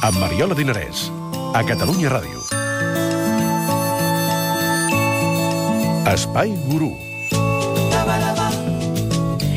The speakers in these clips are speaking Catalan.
amb Mariola Dinarès, a Catalunya Ràdio. Espai Gurú.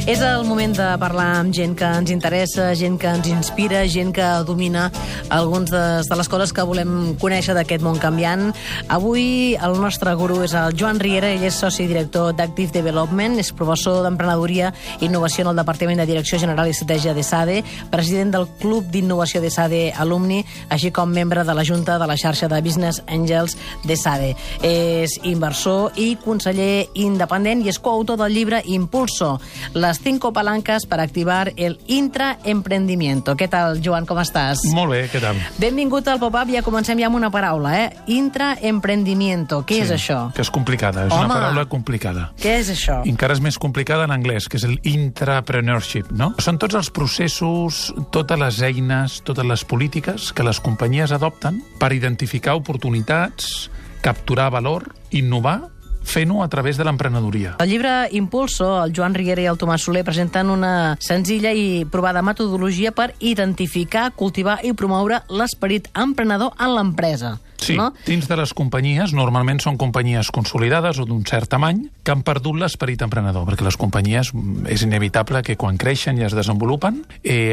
És el moment de parlar amb gent que ens interessa, gent que ens inspira, gent que domina algunes de les coses que volem conèixer d'aquest món canviant. Avui el nostre gurú és el Joan Riera, ell és soci i director d'Active Development, és professor d'Emprenedoria i Innovació en el Departament de Direcció General i Estratègia d'ESADE, president del Club d'Innovació d'ESADE Alumni, així com membre de la Junta de la xarxa de Business Angels d'ESADE. És inversor i conseller independent i és coautor del llibre Impulso, les 5 palancas para activar el intraemprendimiento. Què tal, Joan, com estàs? Molt bé, què tal? Benvingut al Pop-Up, ja comencem ja amb una paraula, Intraemprendimiento. Què és això? Que és complicada, és una paraula complicada. Què és això? I encara és més complicada en anglès, que és el intrapreneurship, no? Són tots els processos, totes les eines, totes les polítiques que les companyies adopten per identificar oportunitats, capturar valor, innovar, fent-ho a través de l'emprenedoria. Al llibre Impulso, el Joan Riera i el Tomàs Soler presenten una senzilla i provada metodologia per identificar, cultivar i promoure l'esperit emprenedor en l'empresa. Sí, no? Dins de les companyies, normalment són companyies consolidades o d'un cert tamany, que han perdut l'esperit emprenedor, perquè les companyies és inevitable que quan creixen i es desenvolupen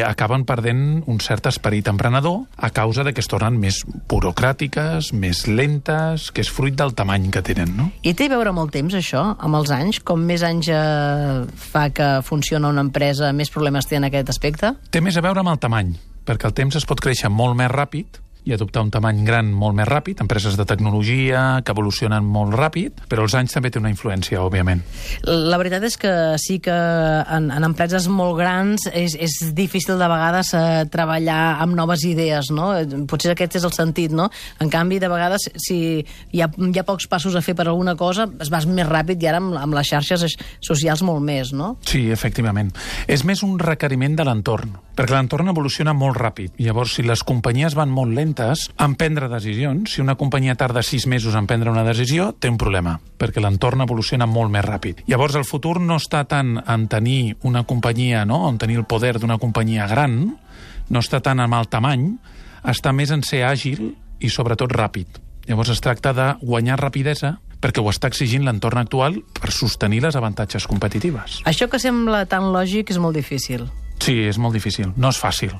acaben perdent un cert esperit emprenedor a causa de que es tornen més burocràtiques, més lentes, que és fruit del tamany que tenen, no? I té a veure amb el temps, això, amb els anys? Com més anys fa que funciona una empresa, més problemes té en aquest aspecte? Té més a veure amb el tamany, perquè el temps es pot créixer molt més ràpid i adoptar un tamany gran molt més ràpid, empreses de tecnologia que evolucionen molt ràpid, però els anys també té una influència, òbviament. La veritat és que sí que en empreses molt grans és difícil de vegades treballar amb noves idees, no? Potser aquest és el sentit, no? En canvi, de vegades, si hi ha pocs passos a fer per alguna cosa, es vas més ràpid i ara amb les xarxes socials molt més, no? Sí, efectivament. És més un requeriment de l'entorn, perquè l'entorn evoluciona molt ràpid. Llavors, si les companyies van molt lentes en prendre decisions, si una companyia tarda 6 mesos en prendre una decisió, té un problema, perquè l'entorn evoluciona molt més ràpid. Llavors, el futur no està tant en tenir una companyia, no?, en tenir el poder d'una companyia gran, no està tant en el tamany, està més en ser àgil i, sobretot, ràpid. Llavors, es tracta de guanyar rapidesa perquè ho està exigint l'entorn actual per sostenir les avantatges competitives. Això que sembla tan lògic és molt difícil. Sí, és molt difícil, no és fàcil.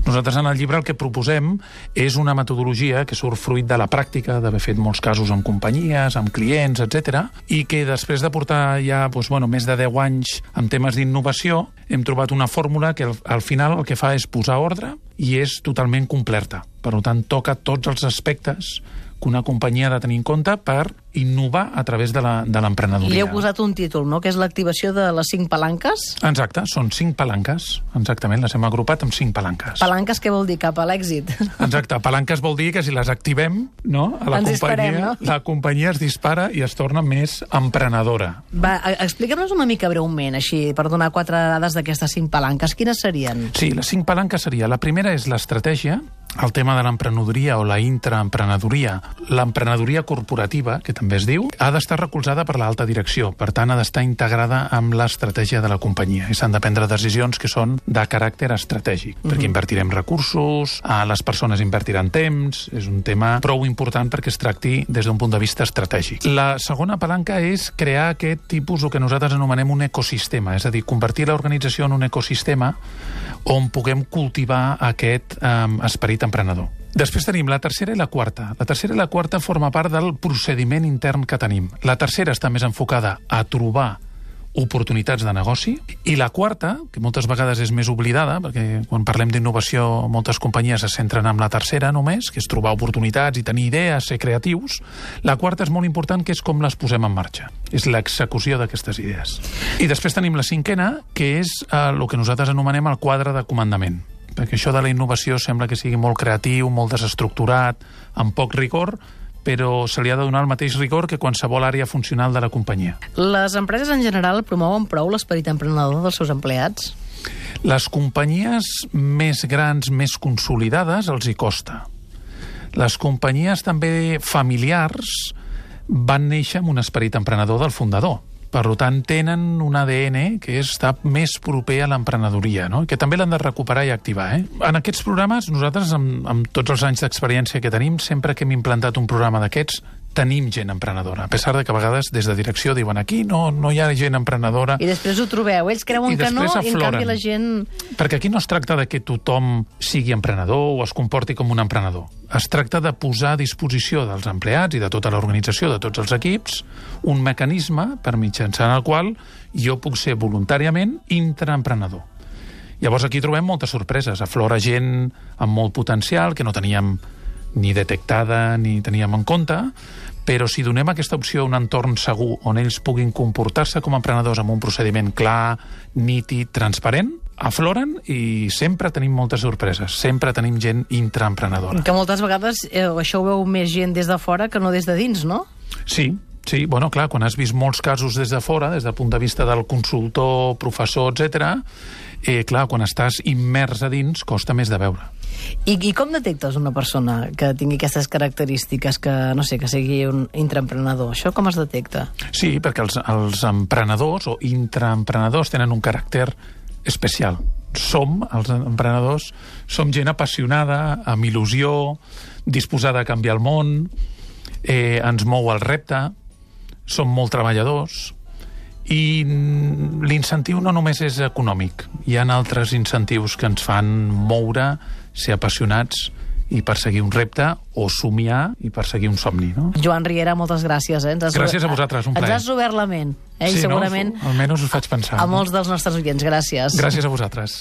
Nosaltres en el llibre el que proposem és una metodologia que surt fruit de la pràctica, d'haver fet molts casos amb companyies, amb clients, etc. I que després de portar ja més de 10 anys en temes d'innovació, hem trobat una fórmula que al final el que fa és posar ordre i és totalment completa. Per tant, toca tots els aspectes que una companyia ha de tenir en compte per innovar a través de l'emprenedoria. Li heu posat un títol, no?, que és l'activació de les 5 palanques? Exacte, són 5 palanques, exactament, les hem agrupat amb 5 palanques. Palanques què vol dir? Cap a l'èxit. Exacte, palanques vol dir que si les activem, no?, a la companyia, no? La companyia es dispara i es torna més emprenedora. Va, explica'm-nos una mica breument, així, per donar 4 dades d'aquestes 5 palanques. Quines serien? Sí, les 5 palanques seria, la primera és l'estratègia, el tema de l'emprenedoria o la intraemprenedoria, l'emprenedoria corporativa, que també es diu, ha d'estar recolzada per l'alta direcció, per tant ha d'estar integrada amb l'estratègia de la companyia i s'han de prendre decisions que són de caràcter estratègic, perquè invertirem recursos, les persones invertiran temps, és un tema prou important perquè es tracti des d'un punt de vista estratègic. La segona palanca és crear aquest tipus, el que nosaltres anomenem un ecosistema, és a dir, convertir l'organització en un ecosistema on puguem cultivar aquest esperit emprenedor. Després tenim la tercera i la quarta. La tercera i la quarta forma part del procediment intern que tenim. La tercera està més enfocada a trobar oportunitats de negoci, i la quarta, que moltes vegades és més oblidada, perquè quan parlem d'innovació moltes companyies es centren en la tercera només, que és trobar oportunitats i tenir idees, ser creatius. La quarta és molt important, que és com les posem en marxa. És l'execució d'aquestes idees. I després tenim la cinquena, que és el que nosaltres anomenem el quadre de comandament. Perquè això de la innovació sembla que sigui molt creatiu, molt desestructurat, amb poc rigor, però se li ha de donar el mateix rigor que qualsevol àrea funcional de la companyia. Les empreses en general promouen prou l'esperit emprenedor dels seus empleats? Les companyies més grans, més consolidades, els hi costa. Les companyies també familiars van néixer amb un esperit emprenedor del fundador. Per tant, tenen un ADN que està més proper a l'emprenedoria, no? Que també l'han de recuperar i activar. En aquests programes, nosaltres, amb tots els anys d'experiència que tenim, sempre que hem implantat un programa d'aquests, tenim gent emprenedora, a pesar de que a vegades des de direcció diuen aquí no hi ha gent emprenedora. I després ho trobeu, ells creuen que no, i en canvi la gent... Perquè aquí no es tracta de que tothom sigui emprenedor o es comporti com un emprenedor. Es tracta de posar a disposició dels empleats i de tota l'organització, de tots els equips, un mecanisme per mitjançant el qual jo puc ser voluntàriament intraemprenedor. Llavors aquí trobem moltes sorpreses. Aflora gent amb molt potencial que no teníem ni detectada ni teníem en compte, però si donem aquesta opció a un entorn segur on ells puguin comportar-se com a emprenedors amb un procediment clar, nítid, transparent, afloren i sempre tenim moltes sorpreses, sempre tenim gent intraemprenedora. Que moltes vegades això ho veu més gent des de fora que no des de dins, no? Sí, bueno, clar, quan has vist molts casos des de fora, des del punt de vista del consultor, professor, etc., clar, quan estàs immers a dins, costa més de veure. I com detectes una persona que tingui aquestes característiques, que, no sé, que sigui un intraemprenedor? Això com es detecta? Sí, perquè els emprenedors o intraemprenedors tenen un caràcter especial. Els emprenedors, som gent apassionada, amb il·lusió, disposada a canviar el món, ens mou el repte, som molt treballadors, i l'incentiu no només és econòmic. Hi ha altres incentius que ens fan moure, ser apassionats i perseguir un repte o somiar i perseguir un somni, no? Joan Riera, moltes gràcies. Gràcies a vosaltres, un plaer. Ens has obert la ment. I segurament no? Almenys us faig pensar. A molts dels nostres oients. Gràcies. Gràcies a vosaltres.